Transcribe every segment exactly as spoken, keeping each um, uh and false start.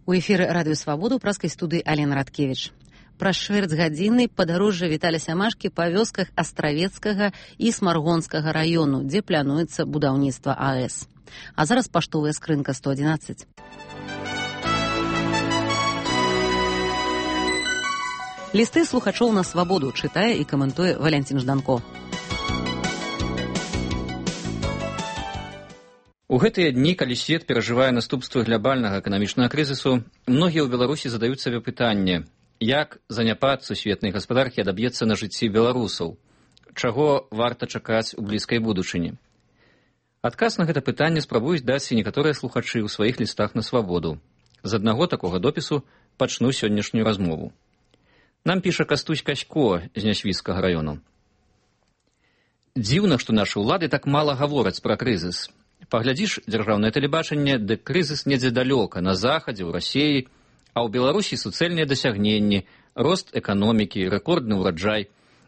У эфіры радыё Свабода ў праскай студыі Алена Радкевіч. Праз чвэрць гадзіны падарожжа Віталя Сямашкі па вёсках Астравецкага і Смаргонскага раёну, дзе плануецца будаўніцтва АЭС. А зараз паштовая скрынка сто адзінаццаць. Лісты слухачоў на Свабоду чытае і каментуе Валянцін Жданко. У гэтыя дні, калі свет перажывае наступствы глобальнага эканамічнага крызісу, многія ў Беларусі задаюць сабе пытанне, як заняпад сусветнай гаспадаркі адаб'ецца на жыцці беларусаў, чаго варта чакаць у блізкай будучыні. Адказ на гэта пытанне спрабуюць даць і некаторыя слухачы ў сваіх лістах на Свабоду. З аднаго такога допісу пачну сённяшнюю размову. Нам піша Кастусь Касько з Нясвіцкага раёну. Дзіўна, што нашы ўлады так мала гавораць пра крызіс. Паглядзіш дзяржаўнае тэлебачанне, дык крызіс недзе далёка, на захадзе, ў Расіі, а ў Беларусі суцэльныя дасягненні, рост эканомікі, рэкордны ўраджай.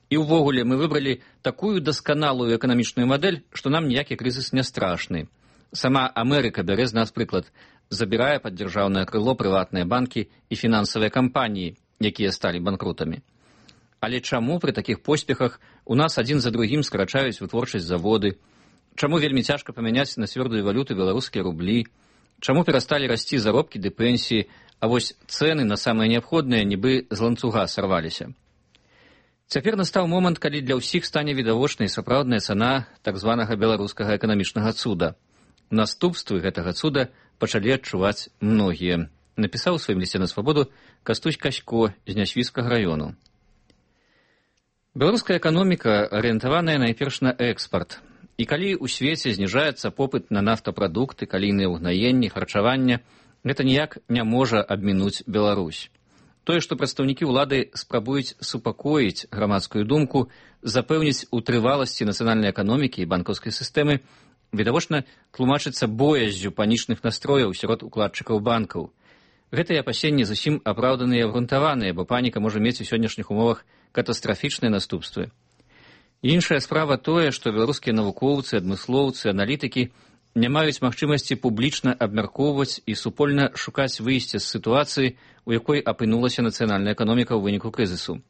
І ўвогуле мы выбралі такую дасканалую эканамічную мадэль, што нам ніякі крызіс не страшны. Сама Амерыка бярэ з нас прыклад, забірае пад дзяржаўнае крыло прыватныя банкі і фінансавыя кампаніі, якія сталі банкрутамі. Але чаму пры такіх поспехах у нас адзін за другім скарачаюць вытворчасць заводы? Чаму вельмі цяжка памяняць на цвёрдую валюту беларускія рублі? Чаму перасталі расці заробкі ды пенсіі, а вось цэны на самыя неабходныя нібы з ланцуга сарваліся? Цяпер настаў момант, калі для ўсіх стане відавочнай сапраўдная цана так званага беларускага эканамічнага цуда. Наступствы гэтага цуда пачалі адчуваць многія. Напісаў у сваім лісце на Свабоду Кастусь Касько з Нясвіцкага раёну. Беларуская эканоміка арыентаваная найперш на экспарт. І калі ў свеце зніжаецца попыт на нафтапрадукты, калійныя ўгнаенні, харчавання, гэта ніяк не можа абмінуць Беларусь. Тое, што прадстаўнікі ўлады спрабуюць супакоіць грамадскую думку, запэўніць у трываласці нацыянальнай эканомікі і банкаўскай сістэмы, відавочна тлумачыцца бояззю панічных настрояў сярод укладчыкаў банкаў. Гэтыя апасенні зусім апраўданыя і абгрунтаваныя, бо паніка можа мець у сённяшніх умовах катастрафічныя наступствы. Іншая справа тое, што беларускія навукоўцы, адмыслоўцы, аналітыкі не маюць магчымасці публічна абмяркоўваць і супольна шукаць выйсце з сітуацыі, у якой апынулася нацыянальная эканоміка ў выніку крызісу.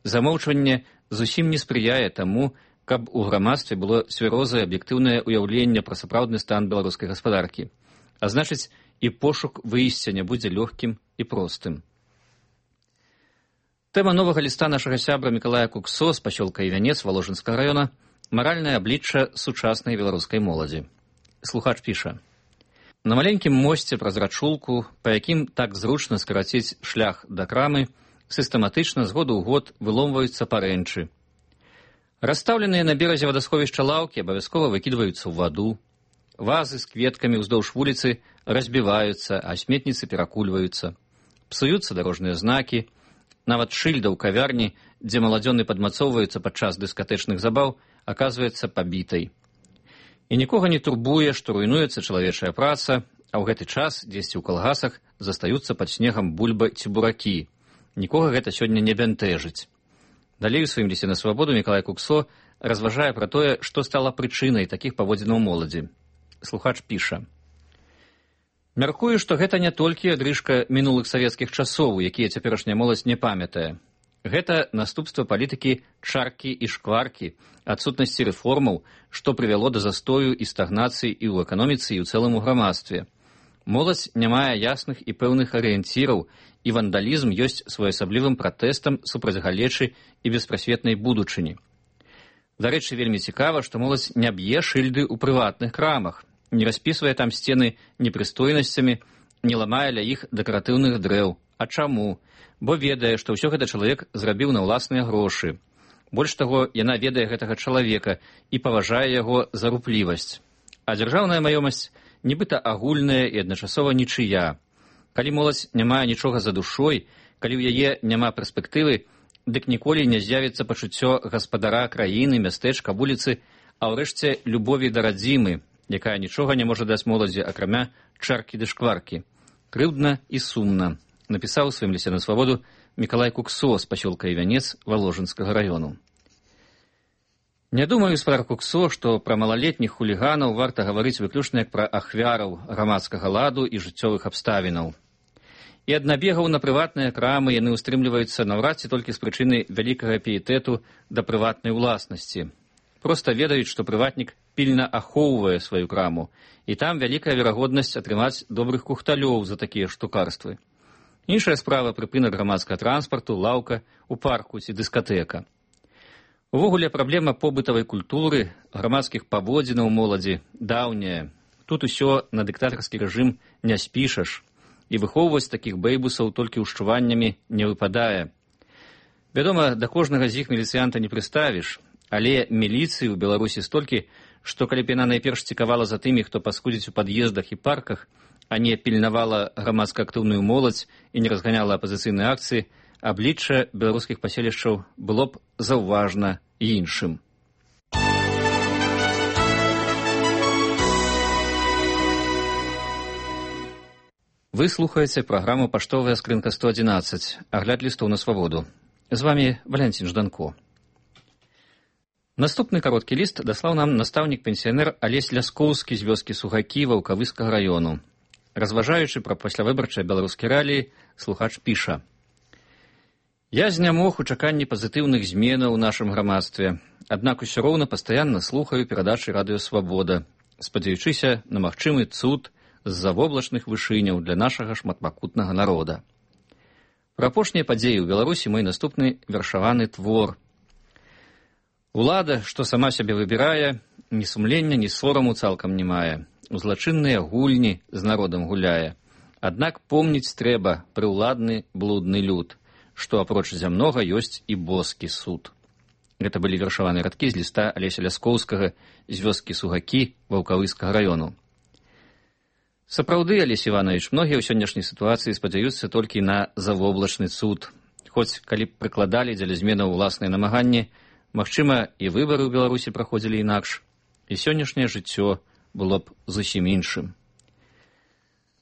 Замоўчванне зусім не спрыяе таму, каб у грамадстве было цвярозае аб'ектыўнае ўяўленне пра сапраўдны стан беларускай гаспадаркі. А значыць, і пошук выйсця не будзе лёгкім і простым. Тэма новага ліста нашага сябра Мікалая Куксо з пасёлка Івянец Валожынскага раёна «Маральнае аблічча сучаснай беларускай моладзі». Слухач піша. На маленькім мосце праз рачулку, па якім так зручна скараціць шлях да крамы, сістэматычна з году ў год выломваюцца парэнчы. Расстаўленыя на беразе вадасховішча лаўкі абавязкова выкідваюцца ў ваду. Вазы з кветкамі ўздоўж вуліцы разбіваюцца, а сметніцы перакульваюцца. Псуюцца дарожныя знакі. Нават шыльда ў кавярні, дзе маладзёны падмацоўваюцца падчас дыскатэчных забаў, аказваецца пабітай. І нікога не турбуе, што руйнуецца чалавечая праца, а ў гэты час дзесьці ў калгасах застаюцца пад снегам бульба ці буракі. Нікога гэта сёння не бянтэжыць. Далей у сваім лісце на Свабоду Мікалай Куксо разважае пра тое, што стала прычынай такіх паводзінаў моладзі. Слухач піша. Мяркую, што гэта не толькі адрыжка мінулых савецкіх часоў, якія цяперашняя моладзь не памятае. Гэта наступства палітыкі чаркі і шкваркі, адсутнасці рэформаў, што прывяло да застою і стагнацыі і ў эканоміцы, і ў цэлым у грамадстве. Моладзь не мае ясных і пэўных арыенціраў, і вандалізм ёсць своеасаблівым пратэстам супраць галечы і беспрасветнай будучыні. Дарэчы, вельмі цікава, што моладзь не б'е шыльды ў прыватных крамах, не распісвае там сцены непрыстойнасцямі, не ламае ля іх дэкаратыўных дрэў. А чаму? Бо ведае, што ўсё гэта чалавек зрабіў на ўласныя грошы. Больш таго, яна ведае гэтага чалавека і паважае яго за руплівасць. А дзяржаўная маёмасць нібыта агульная і адначасова нічыя. Калі моладзь не мае нічога за душой, калі ў яе няма перспектывы, дык ніколі не з'явіцца пачуццё гаспадара краіны, мястэчка, вуліцы, а ўрэшце любові да радзімы, якая нічога не можа даць моладзі, акрамя чаркі ды шкваркі. Крыўдна і сумна, напісаў у сваім лісце на Свабоду Мікалай Куксо з пасёлка Івянец Валожынскага раёну. Не думаю, гаспадар Куксо, што пра малалетніх хуліганаў варта гаварыць выключна як пра ахвяраў грамадскага ладу і жыццёвых абставінаў. І ад набегаў на прыватныя крамы яны ўстрымліваюцца наўрад ці толькі з прычыны вялікага піетэту да прыватнай уласнасці. Проста ведаюць, што прыватнік пільна ахоўвае сваю краму, і там вялікая верагоднасць атрымаць добрых кухталёў за такія штукарствы. Іншая справа прыпынак грамадскага транспарту, лаўка, у парку ці дыскатэка. Увогуле праблема побытавай культуры, грамадскіх паводзінаў моладзі даўняя. Тут усё на дыктатарскі рэжым не спішаш, і выхоўваць такіх бэйбусаў толькі ўшчуваннямі не выпадае. Вядома, да кожнага з іх міліцыянта не прыставіш, але міліцыі ў Беларусі столькі, што калі б яна найперш цікавала за тымі, хто паскудзіць у пад'ездах і парках, а не пільнавала грамадска-актыўную моладзь і не разганяла апазіцыйныя акцыі, аблічча беларускіх паселішчаў было б заўважна іншым. Вы слухаеце праграму «Паштовая скрынка сто адзінаццаць», агляд лістоў на свабоду. З вамі Валянцін Жданко. Наступны кароткі ліст даслаў нам настаўнік-пенсіянер Алесь Ляскоўскі з вёскі Сугакі Ваўкавыскага раёну. Разважаючы пра паслявыбарчыя беларускія рэаліі, слухач піша: «Я знямог у чаканні пазітыўных зменаў у нашым грамадстве, аднак усё роўна пастаянна слухаю перадачы радыё «Свабода», спадзяючыся на магчымы цуд з-за воблачных вышыняў для нашага шматпакутнага народа. Пра апошнія падзеі ў Беларусі мой наступны вершаваны твор. Улада, што сама сябе выбірае, ні сумлення, ні сораму цалкам не мае, у злачынныя гульні з народам гуляе. Аднак помніць трэба прыўладны блудны люд, што апроч зямнога ёсць і боскі суд». Гэта былі вершаваныя радкі з ліста Алеся Ляскоўскага з вёскі Сугакі Ваўкавыскага раёну. Сапраўды, Алесь Іванович, многія ў сённяшняй сітуацыі спадзяюцца толькі на завоблачны цуд. Хоць, калі б прыкладалі дзеля зменаў уласныя намаганні, магчыма, і выбары ў Беларусі праходзілі інакш, і сённяшняе жыццё было б зусім іншым.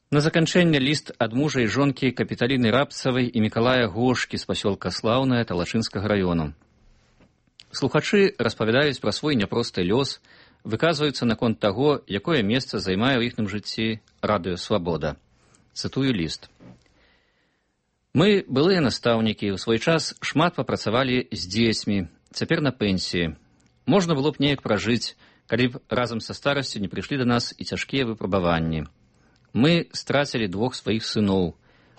На заканчэнне ліст ад мужа і жонкі Капіталіны Рабцавай і Мікалая Гошкі з пасёлка Слаўнае Талачынскага раёну. Слухачы распавядаюць пра свой няпросты лёс, выказваюцца наконт таго, якое месца займае ў іхным жыцці радыё «Свабода». Цытую ліст. «Мы, былыя настаўнікі, у свой час шмат папрацавалі з дзецьмі, цяпер на пенсіі. Можна было б неяк пражыць, калі б разам са старасцю не прыйшлі да нас і цяжкія выпрабаванні. Мы страцілі двух сваіх сыноў.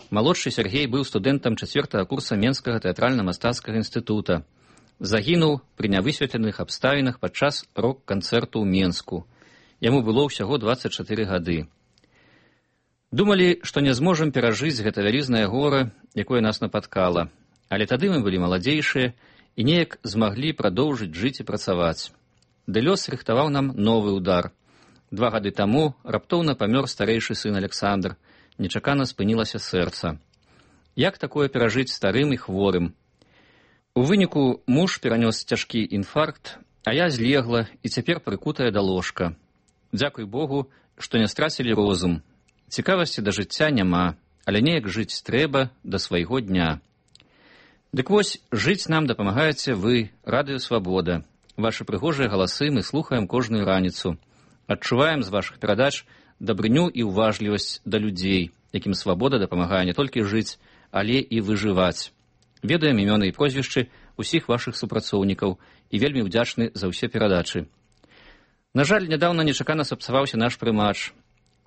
Малодшы Сергей быў студэнтам чацвёртага курса Менскага тэатральна-мастацкага інстытута. Загінуў пры нявысветленых абставінах падчас рок-канцэрту ў Менску. Яму было ўсяго дваццаць чатыры гады. Думалі, што не зможам перажыць гэта вялізнае гора, якое нас напаткала. Але тады мы былі маладзейшыя і неяк змаглі прадоўжыць жыць і працаваць. Ды лёс рыхтаваў нам новы ўдар. Два гады таму раптоўна памёр старэйшы сын Александр. Нечакана спынілася сэрца. Як такое перажыць старым і хворым? У выніку муж перанёс цяжкі інфаркт, а я злегла і цяпер прыкутая да ложка. Дзякуй Богу, што не страцілі розум. Цікавасці да жыцця няма, але неяк жыць трэба да свайго дня. Дык вось, жыць нам дапамагаеце вы, радыё «Свабода». Вашы прыгожыя галасы мы слухаем кожную раніцу. Адчуваем з вашых перадач дабрыню і ўважлівасць да людзей, якім свабода дапамагае не толькі жыць, але і выжываць. Ведаем імёны і прозвішчы ўсіх вашых супрацоўнікаў і вельмі ўдзячны за ўсе перадачы. На жаль, нядаўна нечакана сапсаваўся наш прымач.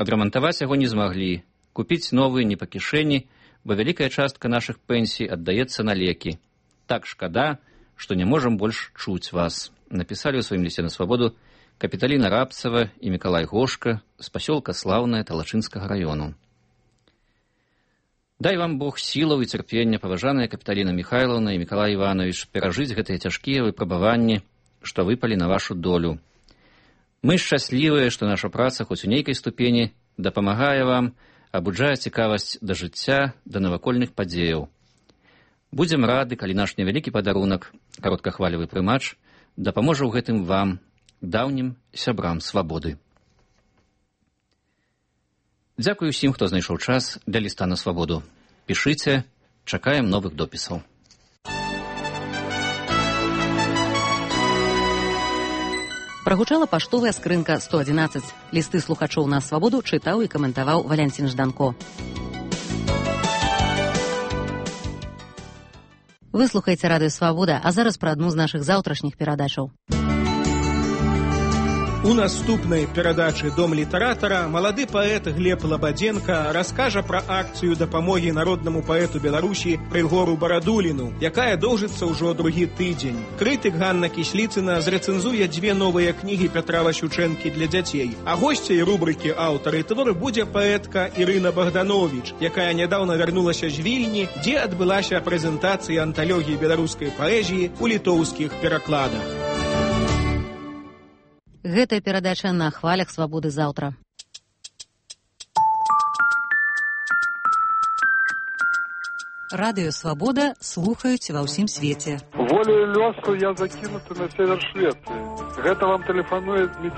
Адрамантаваць яго не змаглі, купіць новы не па кішэні, бо вялікая частка нашых пенсій аддаецца на лекі. Так шкада, што не можам больш чуць вас. Напісалі ў сваім лісце на свабоду Капіталіна Рабцава і Мікалай Гошка з пасёлка Слаўнае Талачынскага раёну. Дай вам Бог сілаў і цярпення, паважаныя Капіталіна Міхайлаўна і Мікалай Іванович, перажыць гэтыя цяжкія выпрабаванні, што выпалі на вашу долю. Мы шчаслівыя, што наша праца хоць у нейкай ступені дапамагае вам, абуджае цікавасць да жыцця, да навакольных падзеяў. Будзем рады, калі наш невялікі падарунак, кароткахвалевы прымач, дапаможа ў гэтым вам, даўнім сябрам свабоды. Дзякуй усім, хто знайшоў час для ліста на свабоду. Пішыце, чакаем новых допісаў. Прагучала паштовая скрынка сто адзінаццаць. Лісты слухачоў на свабоду чытаў і каментаваў Валянцін Жданко. Вы слухаеце радыё Свабода, а зараз пра адну з нашых заўтрашніх перадачаў. У наступнай перадачы «Дом літаратара» малады паэт Глеб Лабадзенка раскажа пра акцыю дапамогі народнаму паэту Беларусі Рыгору Барадуліну, якая доўжыцца ўжо другі тыдзень. Крытык Ганна Кісліцына зрэцэнзуе дзве новыя кнігі Пятра Васючэнкі для дзяцей. А госцяй рубрыкі «Аўтары твору» будзе паэтка Ірына Богданович, якая нядаўна вярнулася з Вільні, дзе адбылася прэзентацыя анталогіі беларускай паэзіі ў літоўскіх перакладах. Гэтая перадача на хвалях Свабоды заўтра. Радыё Свабода слухаюць ва ўсім свеце. Волею лёсу я закінуты на север Швецыі. Гэта вам тэлефануе Дмітрий